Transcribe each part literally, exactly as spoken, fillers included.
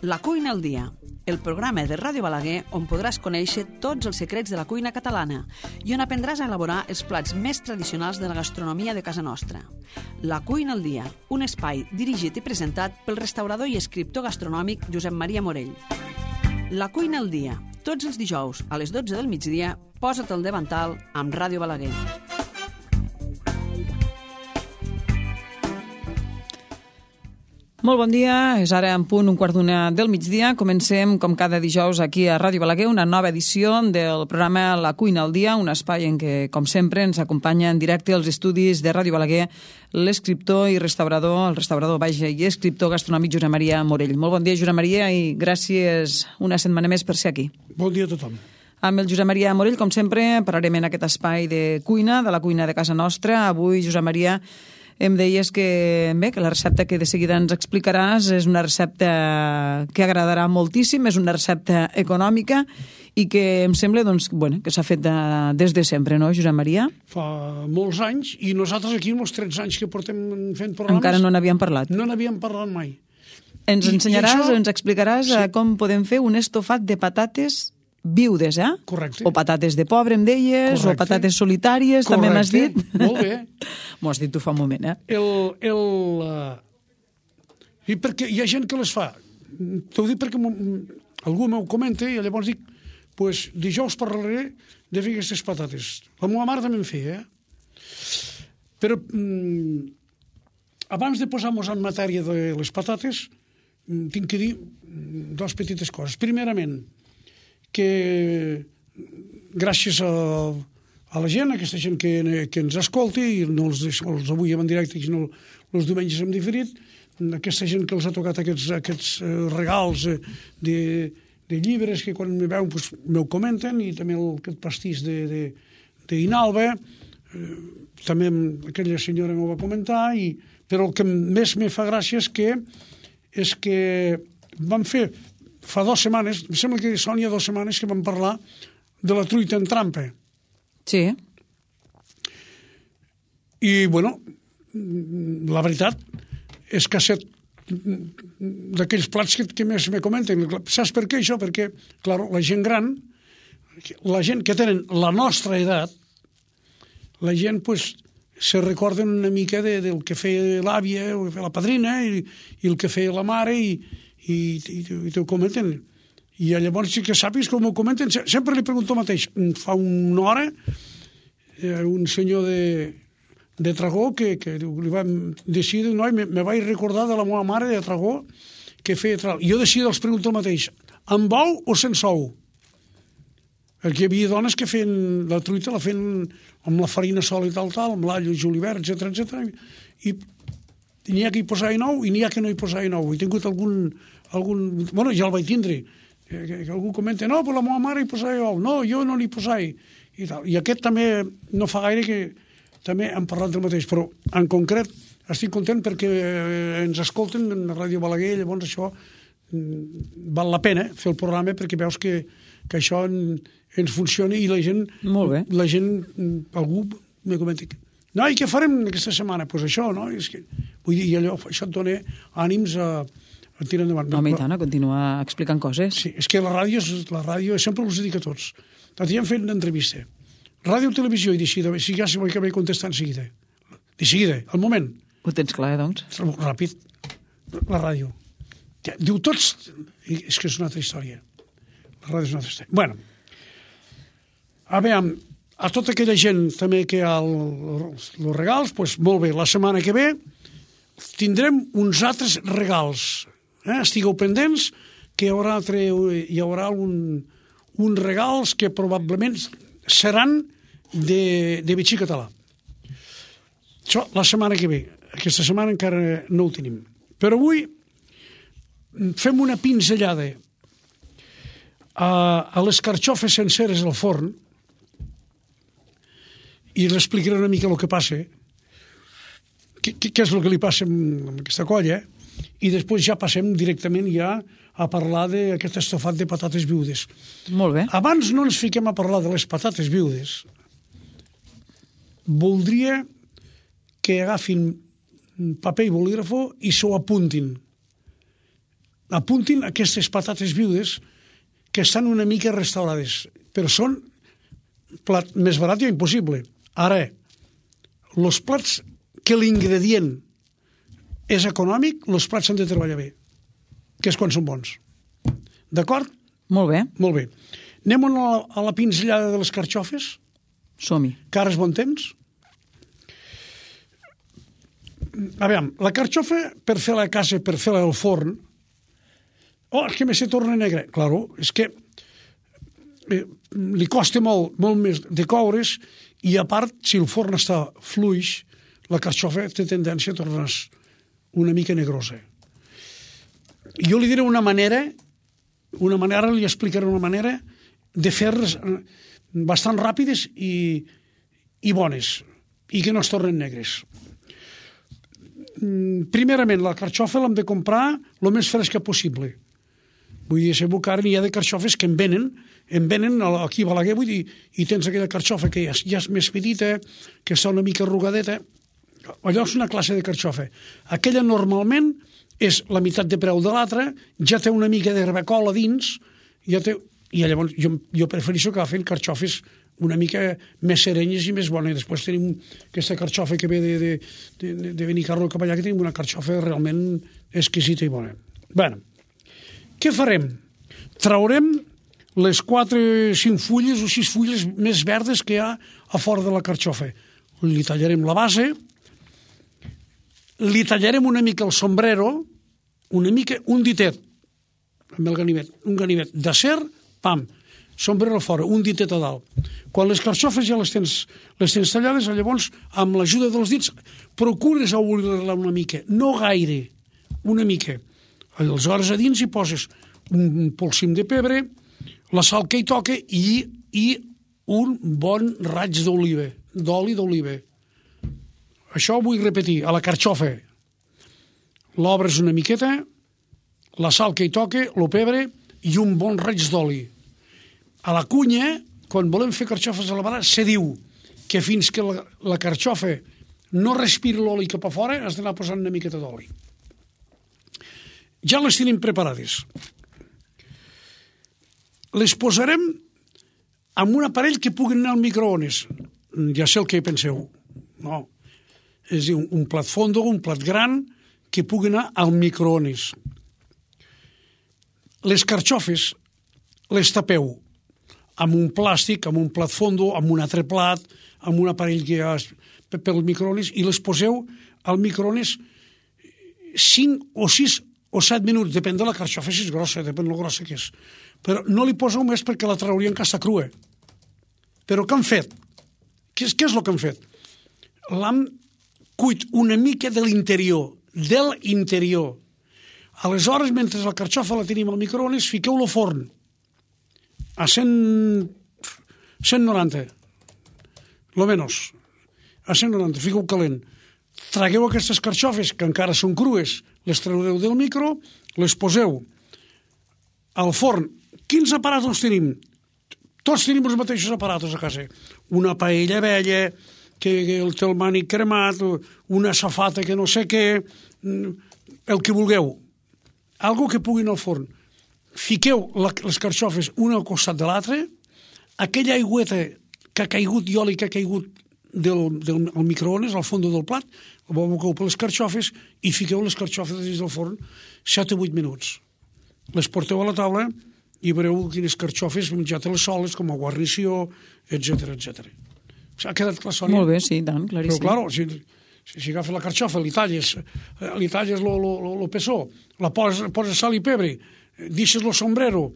La cuina al dia, el programa de Ràdio Balaguer on podràs conèixer tots els secrets de la cuina catalana i on aprendràs a elaborar els plats més tradicionals de la gastronomia de casa nostra. La cuina al dia, un espai dirigit i presentat pel restaurador i escriptor gastronòmic Josep Maria Morell. La cuina al dia, tots els dijous a les dotze del migdia, posa't al davantal amb Ràdio Balaguer. Molt bon dia, és ara en punt un quart d'una del migdia. Comencem, com cada dijous, aquí a Ràdio Balaguer, una nova edició del programa La cuina al dia, un espai en què, com sempre, ens acompanya en directe als estudis de Ràdio Balaguer l'escriptor i restaurador, el restaurador, vaja, i escriptor gastronòmic Josep Maria Morell. Molt bon dia, Josep Maria, i gràcies una setmana més per ser aquí. Bon dia a tothom. Amb el Josep Maria Morell, com sempre, parlarem en aquest espai de cuina, de la cuina de casa nostra. Avui, Josep Maria, em deies que, bé, que la recepta que de seguida ens explicaràs és una recepta que agradarà moltíssim, és una recepta econòmica i que em sembla doncs, bueno, que s'ha fet de, des de sempre, no, Josep Maria? Fa molts anys, i nosaltres aquí, els tretze anys que portem fent programes... Encara no n'havíem parlat. No n'havíem parlat mai. Ens I, ensenyaràs, i això... ens explicaràs sí. com podem fer un estofat de patates viudes, eh? Correcte. O patates de pobre, em deies, Correcte. o patates solitàries, Correcte. També m'has dit. Molt bé. M'ho has dit tu fa un moment, eh? El... el uh... I perquè hi ha gent que les fa. T'ho dic perquè algú m'ho comenta i llavors dic, pues, dijous parlaré de fer aquestes patates. La meva mare també en feia, eh? Però mm, abans de posar-nos en matèria de les patates, tinc que dir dues petites coses. Primerament, que gràcies a, a la gent, a aquesta gent que, que ens escolti, i no els, els avui en directe, sinó els diumenges hem diferit, aquesta gent que els ha tocat aquests, aquests regals de, de llibres que quan me veuen pues, m'ho comenten, i també el, aquest pastís d'Inalba, eh, també aquella senyora m'ho va comentar, i, però el que més me fa gràcia és que, és que vam fer fa dues setmanes, em sembla que són ja dues setmanes que vam parlar de la truita en trampa. Sí. I, bueno, la veritat és que ha set d'aquells plats que, que més me comenten. Saps per què això? Perquè, clar, la gent gran, la gent que tenen la nostra edat, la gent, pues, se recorden una mica de, del que feia l'àvia o la padrina i, i el que feia la mare i i, i, i t'ho comenten. I llavors, que sàpigues com ho comenten, sempre li pregunto el mateix. Fa una hora, eh, un senyor de, de Tragó que, que li vam decidir, no, me, me vaig recordar de la meva mare de Tragó que feia tal. Jo decidir els pregunto el mateix. Amb ou o sense ou? Perquè hi havia dones que feien la truita, la feien amb la farina sola i tal, tal, amb l'all, el julivert, etcètera, etcètera. I n'hi ha que hi posava ou i n'hi ha que no hi posava ou. He tingut algun... algun bueno, ja el vaig tindre. Que, que algú comenta, no, però la meva mare hi posava ou. No, jo no n'hi posava. I, tal. I aquest també no fa gaire que també hem parlat del mateix. Però, en concret, estic content perquè ens escolten en la Ràdio Balaguer, llavors això val la pena fer el programa perquè veus que, que això en, ens funciona i la gent... Molt bé. La gent, algú me comenta... No, i què farem aquesta setmana? Doncs pues això, no? És que, vull dir, i allò, això et dona ànims a, a tirar endavant. No, i tant, a continuar explicant coses. Sí, és que la ràdio, la ràdio sempre us dic a tots. T'hi hem fet una entrevista. Ràdio o televisió, i de seguida, si ja s'hi vull acabar contestant de seguida. De seguida, al moment. Ho tens clar, doncs? Ràpid. La ràdio. Diu tots... És que és una altra història. La ràdio és una altra història. Bueno, a veure, a tota aquella gent també que hi ha els regals, doncs molt bé, la setmana que ve tindrem uns altres regals. Eh? Estigueu pendents que hi haurà, altre, hi haurà un, uns regals que probablement seran de, de bitxí català. Això la setmana que ve. Aquesta setmana encara no ho tenim. Però avui fem una pinzellada a, a les carxofes senceres al forn i l'explicaré una mica el que passa, què, què és el que li passa amb aquesta colla, i després ja passem directament ja a parlar d'aquest estofat de patates viudes. Molt bé. Abans no ens fiquem a parlar de les patates viudes. Voldria que agafin paper i bolígrafo i s'ho apuntin. apuntin aquestes patates viudes que estan una mica restaurades, però són plat més barat i impossible. Ara, els plats que l'ingredient és econòmic, els plats s'han de treballar bé, que és quan són bons. D'acord? Molt bé. Molt bé. Anem a la, a la pinzellada de les carxofes? Som-hi. Que ara és bon temps? A veure, la carxofa, per fer-la a casa, per fer-la al forn, oh, és que me se torna negra. Claro, és que eh, li costa molt, molt més de coure's i, a part, si el forn està fluix, la carxofa té tendència a tornar una mica negrosa. Jo li diré una manera, una manera, li explicaré una manera de fer-les bastant ràpides i, i bones, i que no es tornen negres. Primerament, la carxofa l'hem de comprar el més fresca possible. Vull dir, sabeu que ara n'hi ha de carxofes que en venen, en venen aquí a Balaguer, vull dir, i tens aquella carxofa que ja, ja és més petita, que està una mica arrugadeta. Allò és una classe de carxofa. Aquella normalment és la meitat de preu de l'altra, ja té una mica d'herbacola dins, ja té... i llavors jo, jo prefereixo que agafen carxofes una mica més serenyes i més bones. Després tenim aquesta carxofa que ve de, de, de, de Benicarló cap allà, que tenim una carxofa realment exquisita i bona. Bé, què farem? Traurem les quatre, cinc fulles o sis fulles més verdes que hi ha a fora de la carxofa. Li tallarem la base, li tallarem una mica el sombrero, una mica, un ditet, amb el ganivet, un ganivet d'acer, pam, sombrero fora, un ditet a dalt. Quan les carxofes ja les tens, les tens tallades, llavors, amb l'ajuda dels dits, procures obrir-la una mica, no gaire, una mica. Aleshores a dins hi poses un polsim de pebre, la sal que hi toca i, i un bon raig d'oliva, d'oli d'oliva. Això ho vull repetir, a la carxofa. L'obres una miqueta, la sal que hi toca, el pebre i un bon raig d'oli. A la cunya, quan volem fer carxofes a la vara, se diu que fins que la, la carxofa no respira l'oli cap a fora, has d'anar posant una miqueta d'oli. Ja les tenim preparades. Les posarem amb un aparell que pugui anar al microones. Ja sé el que penseu. No. És dir, un plat fondo, un plat gran, que pugui anar al microones. Les carxofes les tapeu amb un plàstic, amb un plat fondo, amb un altre plat, amb un aparell que hi ha pel microones, i les poseu al microones cinc o sis o set minuts, depèn de la carxofa, si és grossa, depèn de la grossa que és. Però no li poseu més perquè la traurien que està crua. Però què han fet? Què és, què és el que han fet? L'han cuit una mica de l'interior, de l'interior. Aleshores, mentre la carxofa la tenim al microones, fiqueu-lo al forn a cent noranta, lo menos, a cent noranta, fiqueu calent. Tragueu aquestes carxofes, que encara són crues, les traureu del micro, les poseu al forn. Quins aparatos tenim? Tots tenim els mateixos aparatos a casa. Una paella vella, que el té el mànic cremat, una safata que no sé què, el que vulgueu. Algo que pugui anar al forn. Fiqueu la, les carxofes una al costat de l'altra, aquella aigüeta que ha caigut i oli que ha caigut del, del al microones, al fons del plat, ho aboqueu per les carxofes i fiqueu les carxofes dins del forn set o vuit minuts. Les porteu a la taula i veureu quines carxofes menjat-les soles, com a guarnició, etcètera, etcètera. Ha quedat clar, Sònia? Molt bé, sí, tant, claríssim. Però, clar, si, si, si agafes la carxofa, li talles, li talles el pessó, la poses, poses sal i pebre, deixes el sombrero,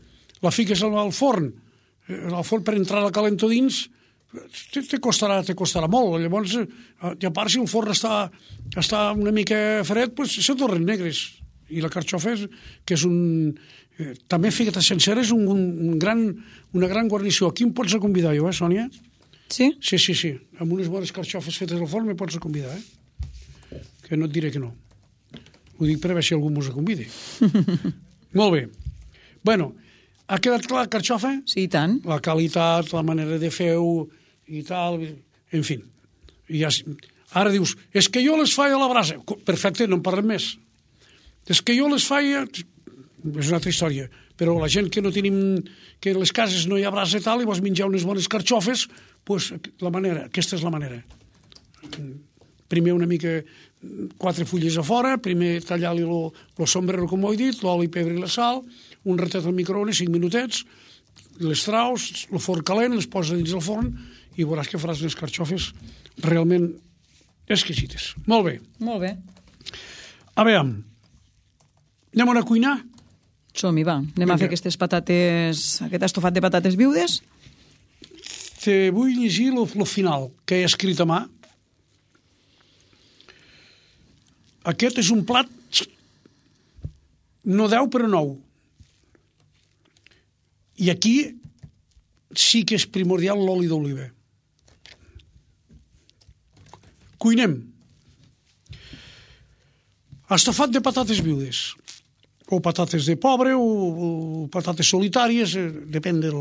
la fiques al forn, al forn per entrar la calento dins, te, te, costarà, te costarà molt. Llavors, i a part, si el forn està, està una mica fred, pues, se tornen negres. I la carxofa, és, que és un... Eh, també feta sencera, és un, un gran, una gran guarnició. Aquí em pots convidar jo, eh, Sònia? Sí? Sí, sí, sí. Amb unes bones carxofes fetes al forn me pots convidar, eh? Que no et diré que no. Ho dic per a veure si algú mos convidi. Molt bé. Bueno, ha quedat clar la carxofa? Sí, i tant. La qualitat, la manera de fer-ho i tal, en fi. I ja, ara dius, és que jo les faig a la brasa. Perfecte, no en parlem més. És que jo les faig... és una altra història. Però la gent que no tenim, que a les cases no hi ha brasa i tal, i vols menjar unes bones carxofes, doncs la manera, aquesta és la manera. Primer una mica, quatre fulles a fora, primer tallar-li el sombrero, com ho he dit, l'oli, pebre i la sal, un ratet al microones, cinc minutets, les traus, el forn calent, les poses dins del forn i veuràs que faràs unes carxofes realment exquisites. Molt bé. Molt bé. A veure, anem a una cuina? Som-hi, va. Anem a fer aquestes patates, aquest estofat de patates viudes. Te vull llegir el final, que he escrit a mà. Aquest és un plat no deu però nou. I aquí sí que és primordial l'oli d'oliva. Cuinem. Estofat de patates viudes. O patates de pobre, o, o patates solitàries, eh, depèn, del,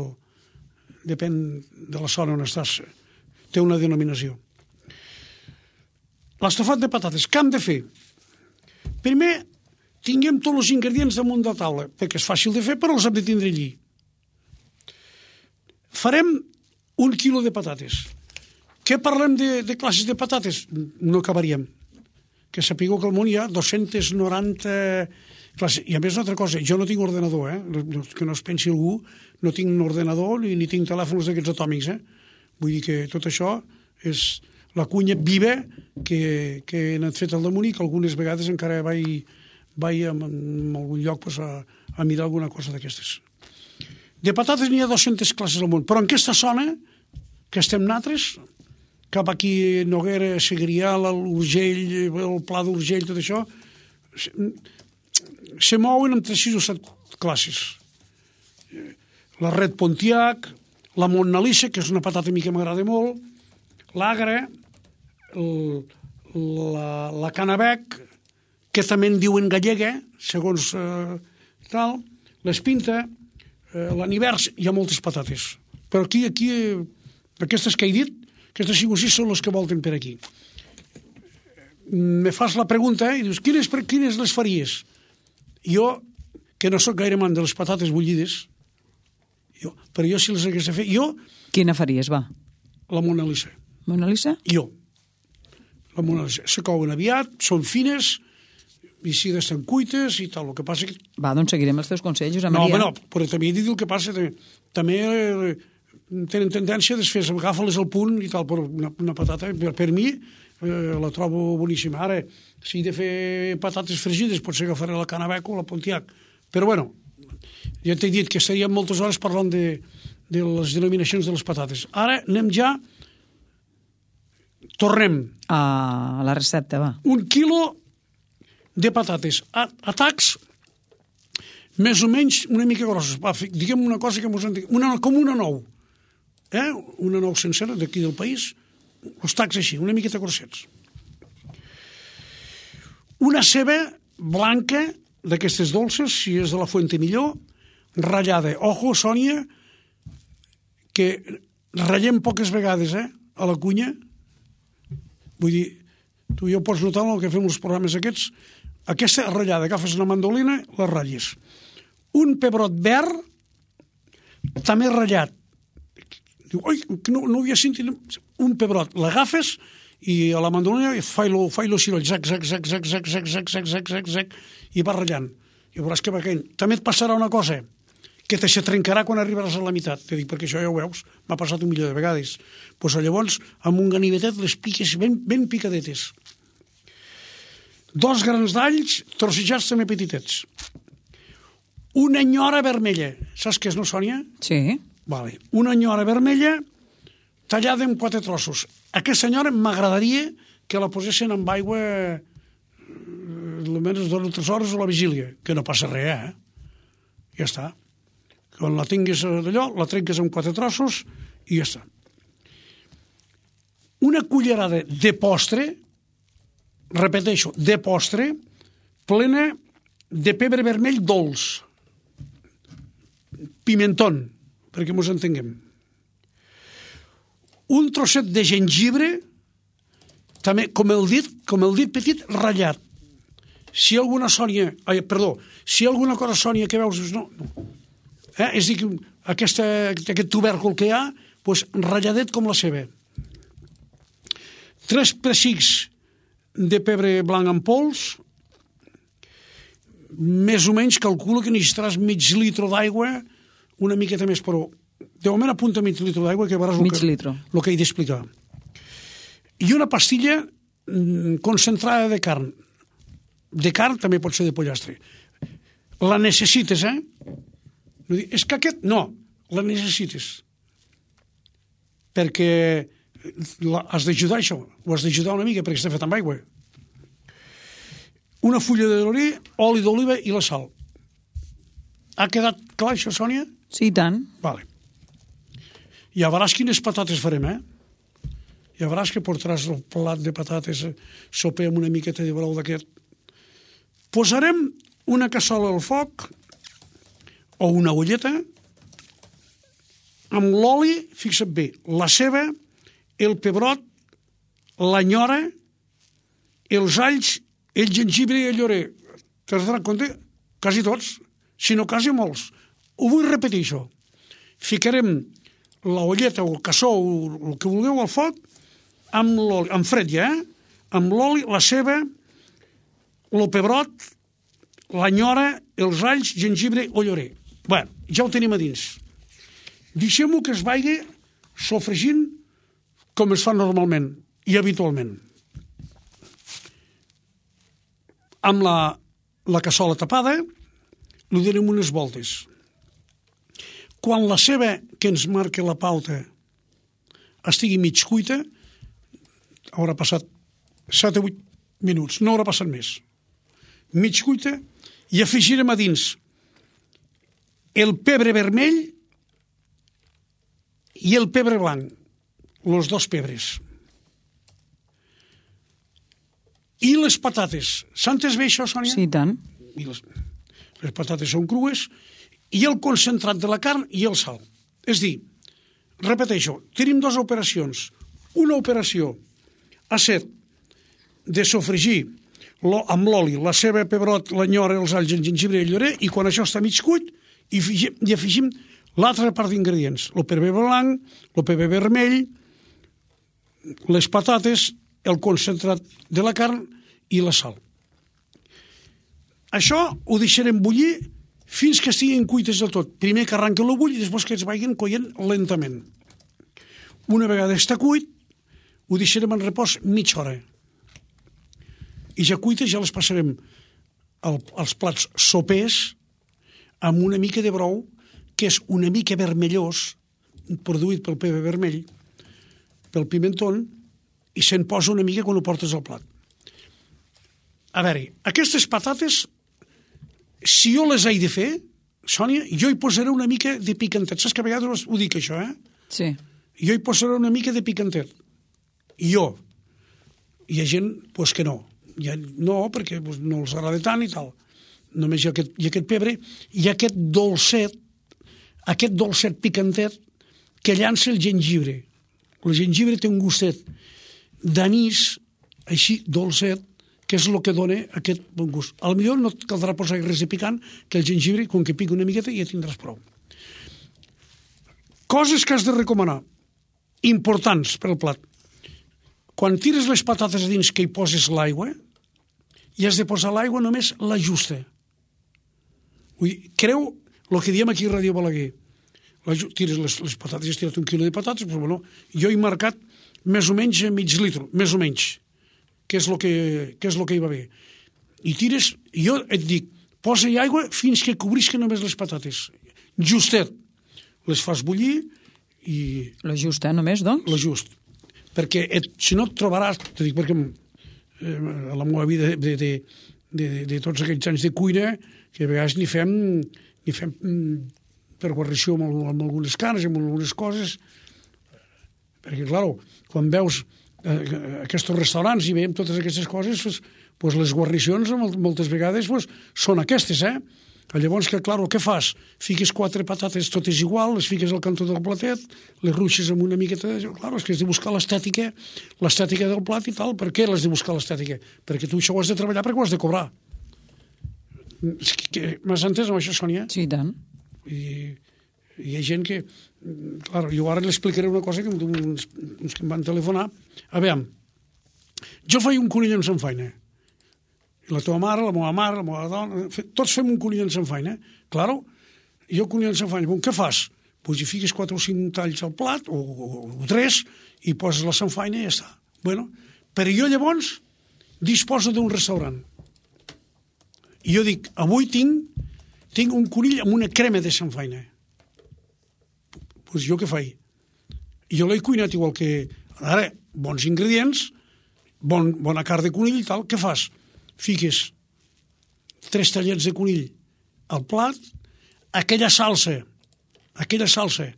depèn de la zona on estàs. Té una denominació. L'estofat de patates, què hem de fer? Primer, tinguem tots els ingredients damunt de la taula, perquè és fàcil de fer, però els hem de tindre allí. Farem un quilo de patates. Què parlem de, de classes de patates? No acabaríem. Que sapigueu que al món hi ha dos-centes noranta classes. I a més, una altra cosa, jo no tinc ordenador, eh? Que no es pensi algú, no tinc un ordenador ni, ni tinc telèfons d'aquests atòmics. Eh? Vull dir que tot això és la cuina viva que, que he anat fet al damunt i que algunes vegades encara vaig, vaig a, a algun lloc pues, a, a mirar alguna cosa d'aquestes. De patates n'hi ha dos-centes classes al món, però en aquesta zona que estem nosaltres, cap aquí Noguera, Segrià, l'Urgell, el Pla d'Urgell, tot això, se mouen entre sis o set classes. La Red Pontiac, la Mont Nalissa, que és una patata a mi que m'agrada molt, l'Agra, el, la, la Canabec, que també en diuen gallega, segons eh, tal, l'Espinta, eh, l'Anivers, hi ha moltes patates. Però aquí, aquí eh, aquestes que he dit, aquestes cinc o sis són les que volten per aquí. Me fas la pregunta eh, i dius, quines, quines les faries? Jo, que no sóc gaire man de les patates bullides, jo, però jo si les hagués de fer, jo... Quina faries, va? La Mona Lisa. Mona Lisa? Jo. La Mona Lisa. Se couen aviat, són fines, i si estan cuites i tal. El que passa que... Va, doncs seguirem els teus consells, Josep No, Maria. home, no, però també he dit el que passa. També, també eh, tenen tendència a desfer, agafa-les al punt i tal, però una, una patata, per, per mi, eh, la trobo boníssima. Ara, si he de fer patates fregides, potser agafaré la Canabec o la Pontiac. Però, bueno, ja t'he dit que estaríem moltes hores parlant de, de les denominacions de les patates. Ara anem ja... Tornem. A la recepta, va. Un quilo de patates a, a tacs més o menys una mica grosses. Va, diguem una cosa que mos entenguem. Una, com una nou. Eh? Una nou sencera d'aquí del país. Els tacs així, una miqueta grossets. Una ceba blanca d'aquestes dolces, si és de la Fuente millor, ratllada. Ojo, Sònia, que ratllem poques vegades, eh? A la cuina. Vull dir, tu ja ho pots notar el que fem els programes aquests. Aquesta ratllada, agafes una mandolina, la ratlles. Un pebrot verd, també ratllat. Diu, oi, no, no havia sentit... Un pebrot, l'agafes i a la mandolina fa-lo fa-lo ciroll, zac, zac, zac, zac, zac, zac, zac, zac, zac, zac, zac, i va ratllant. I veuràs que va caient. També et passarà una cosa, que te se trencarà quan arribaràs a la meitat. Te dic, perquè això ja ho veus, m'ha passat un milió de vegades. Pues llavors, amb un ganivetet les piques ben, ben picadetes. Dos grans d'alls, trossejats també petitets. Una enyora vermella. Saps què és, no, Sònia? Sí. Vale. Una enyora vermella tallada en quatre trossos. Aquesta enyora m'agradaria que la posessin amb aigua eh, almenys dues o tres hores a la vigília, que no passa res, eh? Ja està. Quan la tinguis d'allò, la trenques en quatre trossos i ja està. Una cullerada de postre, repeteixo, de postre, plena de pebre vermell dolç. Pimentón, perquè mos entenguem. Un trosset de gengibre, també, com el dit, com el dit petit, ratllat. si hi ha alguna sònia, ai, perdó, si hi ha alguna cosa sònia que veus, no, no. Eh? És a dir, aquesta, aquest tubèrcul que hi ha, doncs, ratlladet com la ceba. Tres pessics de pebre blanc en pols, més o menys calculo que necessitaràs mig litre d'aigua, una miqueta més, però de moment apunta mig litre d'aigua, que veuràs el que, el que he d'explicar. I una pastilla concentrada de carn. De carn també pot ser de pollastre. La necessites, eh? No dir, és que aquest... No, la necessites. Perquè la, has d'ajudar això, ho has d'ajudar una mica perquè està fet amb aigua. Una fulla de llorer, oli d'oliva i la sal. Ha quedat clar això, Sònia? Sí, i tant. Vale. Ja veuràs quines patates farem, eh? Ja veuràs que portaràs el plat de patates, soper amb una miqueta de brou d'aquest. Posarem una cassola al foc o una olleta amb l'oli, fixa't bé, la ceba, el pebrot, l'anyora, els alls, el gengibre i el llorer. T'has donat compte? Quasi tots, si no quasi molts. Ho vull repetir, això. Ficarem la olleta o el cassó o el que vulgueu al foc amb l'oli, amb fred ja, eh? Amb l'oli, la ceba, el pebrot, l'anyora, els alls, gengibre o llorer. Bé, ja ho tenim a dins. Deixem-ho que es vagi sofregint com es fa normalment i habitualment. Amb la, la cassola tapada, li donem unes voltes. Quan la ceba que ens marca la pauta estigui mig cuita, haurà passat set o vuit minuts, no haurà passat més. Mig cuita, i afegirem a dins el pebre vermell i el pebre blanc, els dos pebres. I les patates. S'ha entès bé això, Sònia? Sí, tant. I les, les patates són crues, i el concentrat de la carn i el sal. És dir, repeteixo, tenim dues operacions. Una operació ha set de sofregir amb l'oli, la ceba, pebrot, l'anyora, els alls, el gengibre i el llorer, i quan això està mig cuit, i afegim, i afegim l'altra part d'ingredients. El pebre blanc, el pebre vermell, les patates, el concentrat de la carn i la sal. Això ho deixarem bullir fins que estiguin cuites del tot. Primer que arranquen el bull i després que es vagin coient lentament. Una vegada està cuit, ho deixarem en repòs mitja hora. I ja cuites ja les passarem al, als plats sopers amb una mica de brou, que és una mica vermellós, produït pel pebre vermell, pel pimentón, i se'n posa una mica quan ho portes al plat. A veure, aquestes patates, si jo les he de fer, Sònia, jo hi posaré una mica de picantet. Saps que a vegades ho dic, això, eh? Sí. Jo hi posaré una mica de picantet. Jo. Hi ha gent, doncs, que no. Ja, no, perquè pues, no els agrada tant i tal. Només hi ha aquest, hi ha aquest pebre i aquest dolcet, aquest dolcet picantet que llança el gengibre. El gengibre té un gustet d'anís, així, dolcet, que és el que dona aquest bon gust. A lo millor no et caldrà posar res de picant, que el gengibre, com que pica una miqueta, ja tindràs prou. Coses que has de recomanar, importants per al plat. Quan tires les patates a dins que hi poses l'aigua, i has de posar l'aigua només la justa. Vull dir, creu el que diem aquí a Ràdio Balaguer. La, tires les, les patates, has tirat un quilo de patates, però bueno, jo he marcat més o menys mig litre, més o menys, que és el que, que, és lo que hi va bé. I tires, jo et dic, posa-hi aigua fins que cobrisquen només les patates. Justet. Les fas bullir i... La justa, només, doncs? La just. Perquè et, si no et trobaràs, te dic perquè eh, a la meva vida de, de, de, de, de tots aquests anys de cuina, que a vegades n'hi fem, n'hi fem per guarnició amb, amb algunes carns, amb algunes coses, perquè, clar, quan veus eh, aquests restaurants i veiem totes aquestes coses, pues, pues les guarnicions moltes vegades pues, són aquestes, eh? Llavors, que, clar, què fas? Fiques quatre patates totes igual, les fiques al cantó del platet, les ruixes amb una miqueta de... Clar, és que has de buscar l'estètica, l'estètica del plat i tal. Per què l'has de buscar l'estètica? Perquè tu això ho has de treballar perquè ho has de cobrar. M'has entès amb això, Sònia? Sí, i tant. I hi ha gent que... Clar, jo ara l'explicaré una cosa que uns, uns que em van telefonar. A veure, jo faig un conill amb sanfaina. I la teva mare, la meva mare, la meva dona... Tots fem un conill amb sanfaina. Claro, jo conill amb sanfaina. Bon, què fas? Pues hi fiques quatre o cinc talls al plat, o, o, o tres, i poses la sanfaina i ja està. Bueno, però jo llavors disposo d'un restaurant. I jo dic, avui tinc, tinc un conill amb una crema de sanfaina. Pues jo què faig? Jo l'he cuinat igual que... Ara, bons ingredients, bon, bona carn de conill i tal, què fas? Fiques tres tallets de conill al plat, aquella salsa, aquella salsa,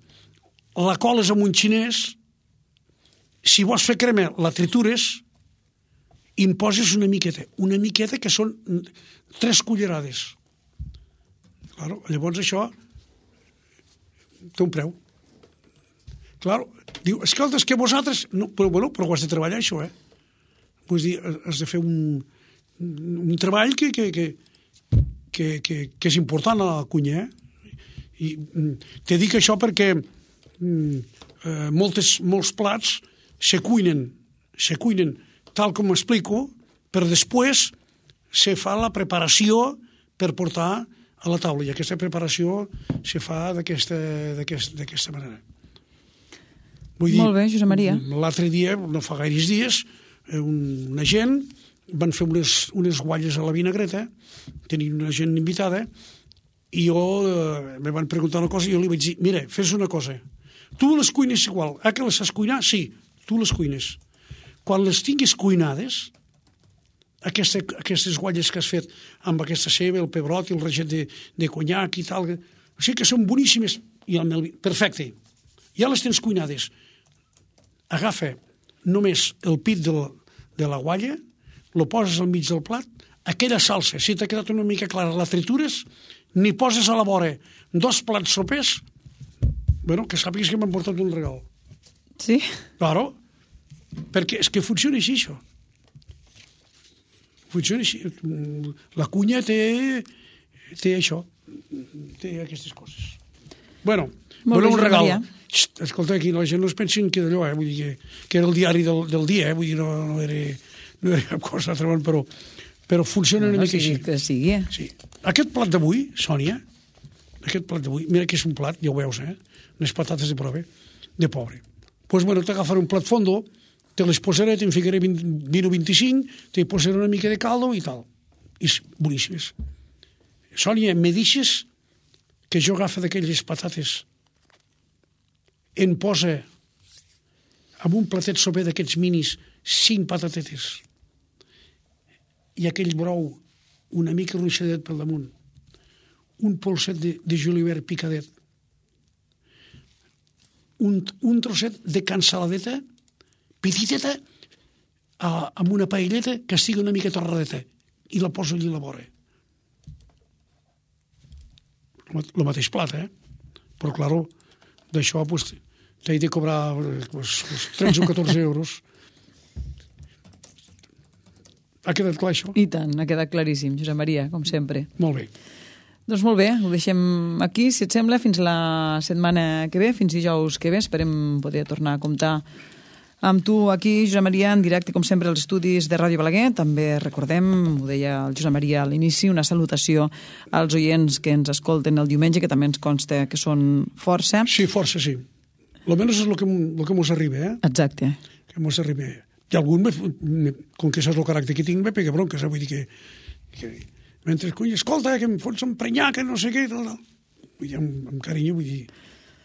la coles amb un xinès, si vols fer crema, la tritures, i em poses una miqueta, una miqueta que són tres cullerades. Claro, llavors això té un preu. Claro, diu, escolta, és que vosaltres... No, però, bueno, però ho has de treballar, això, eh? Vull dir, has de fer un, un treball que, que, que, que, que, que és important a la cuina, eh? I te dic això perquè eh, moltes, molts plats se cuinen, se cuinen tal com m'explico, però després se fa la preparació per portar a la taula, i aquesta preparació se fa d'aquesta d'aquesta d'aquesta manera. Vull dir, molt bé, Josep Maria. L'altre dia, no fa gaires dies, una gent van fer unes, unes gualles a la vinagreta, tenien una gent invitada, i jo eh, me van preguntar una cosa i jo li vaig dir, mira, fes una cosa, tu les cuines igual, ah, que les saps cuinar? Sí, tu les cuines. Quan les tinguis cuinades, aquesta, aquestes gualles que has fet amb aquesta ceba, el pebrot i el reget de, de conyac i tal, o sigui que són boníssimes, i el mel... perfecte, ja les tens cuinades. Agafa només el pit de la, de la gualla, lo poses al mig del plat, aquella salsa, si t'ha quedat una mica clara, la tritures, n'hi poses a la vora dos plats sopers, bueno, que sàpigues que m'han portat un regal. Sí? Claro, perquè és que funciona així, això. Funciona així. La cuina té, té això, té aquestes coses. Bueno, bueno, un regal. Xt, escolta, aquí la gent no es pensin que d'allò, eh? Vull dir que, que era el diari del, del dia, eh? Vull dir, no, no, era, no era cap cosa altra, però, però funciona no, una no, mica sigui així. Que sigui. Sí. Aquest plat d'avui, Sònia, aquest plat d'avui, mira que és un plat, ja ho veus, eh? Unes patates de prove, de pobre. Doncs, pues, bueno, t'agafaré un plat fondo, te les posaré, te'n ficaré vint, vint o vint-i-cinc, te posaré una mica de caldo i tal. I boníssimes. Sònia, me deixes que jo agafa d'aquelles patates, en posa amb un platet soper d'aquests minis cinc patatetes i aquell brou una mica ruixadet pel damunt, un polset de, de julivert picadet, un, un trosset de cansaladeta petiteta a, amb una paelleta que estigui una mica torradeta i la poso allí a la vora. El mateix plat, eh? Però, claro, d'això, pues, t'he de cobrar pues, pues, tretze o catorze euros. Ha quedat clar, això? I tant, ha quedat claríssim, Josep Maria, com sempre. Molt bé. Doncs molt bé, ho deixem aquí, si et sembla, fins la setmana que ve, fins dijous que ve. Esperem poder tornar a comptar amb tu aquí, Josep Maria, en directe, com sempre, als estudis de Ràdio Balaguer. També recordem, ho deia el Josep Maria a l'inici, una salutació als oients que ens escolten el diumenge, que també ens consta que són força. Sí, força, sí. Almenys és el que, el que mos arriba, eh? Exacte. Que mos arriba. I algun, me, me, com que saps el caràcter que tinc, me pega bronques, eh? Vull dir que... que mentre, cony, escolta, que em fots emprenyar, que no sé què, tal, tal. Vull dir, amb, amb carinyo, vull dir...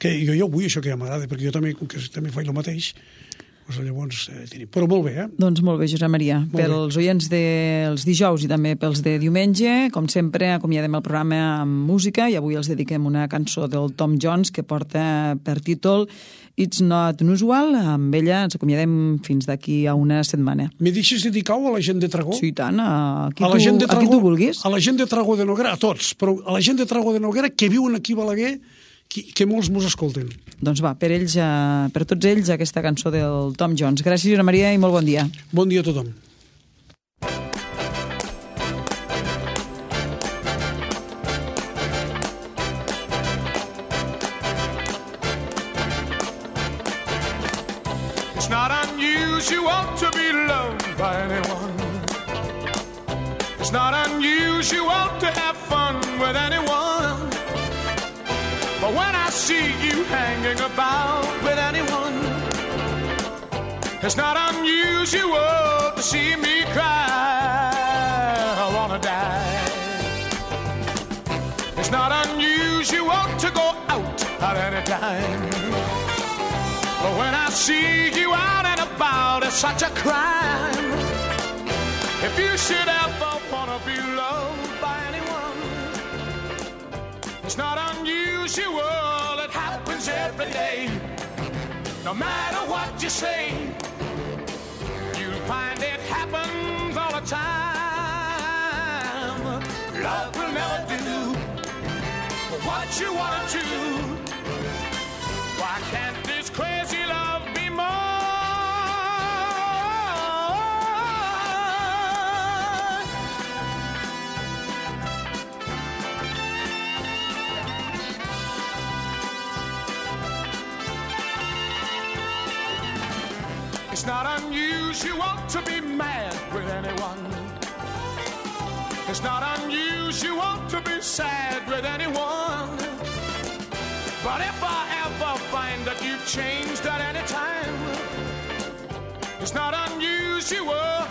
Que jo, jo vull això que ja m'agrada, perquè jo també, com que també faig el mateix, doncs llavors eh, tenim. Però molt bé, eh? Doncs molt bé, Josep Maria. Molt Pels bé. oients dels dijous i també pels de diumenge, com sempre, acomiadem el programa amb música i avui els dediquem una cançó del Tom Jones que porta per títol It's Not Unusual. Amb ella ens acomiadem fins d'aquí a una setmana. Me deixes dedicar-ho a la gent de Tragó? Sí, tant, a qui, a la tu, gent de Tragó, a qui tu vulguis. A la gent de Tragó de Noguera, a tots, però a la gent de Tragó de Noguera que viuen aquí a Balaguer, que, que molts mos escolten. Doncs va, per ells, eh, per tots ells, aquesta cançó del Tom Jones. Gràcies, Josep Maria, i molt bon dia. Bon dia a tothom. unusual to be loved by anyone. It's not unusual to have fun with anyone. But when I see you hanging about with anyone, it's not unusual to see me cry. I wanna die. It's not unusual to go out at any time. But when I see you out and about, it's such a crime. If you should ever wanna be loved by anyone, it's not unusual, it happens every day. No matter what you say, you'll find it happens all the time. Love will never do what you want to. Why can't this crazy love be more? It's not unusual to be mad with anyone. It's not unusual to be sad with anyone. But if I ever find that you've changed at any time, it's not unusual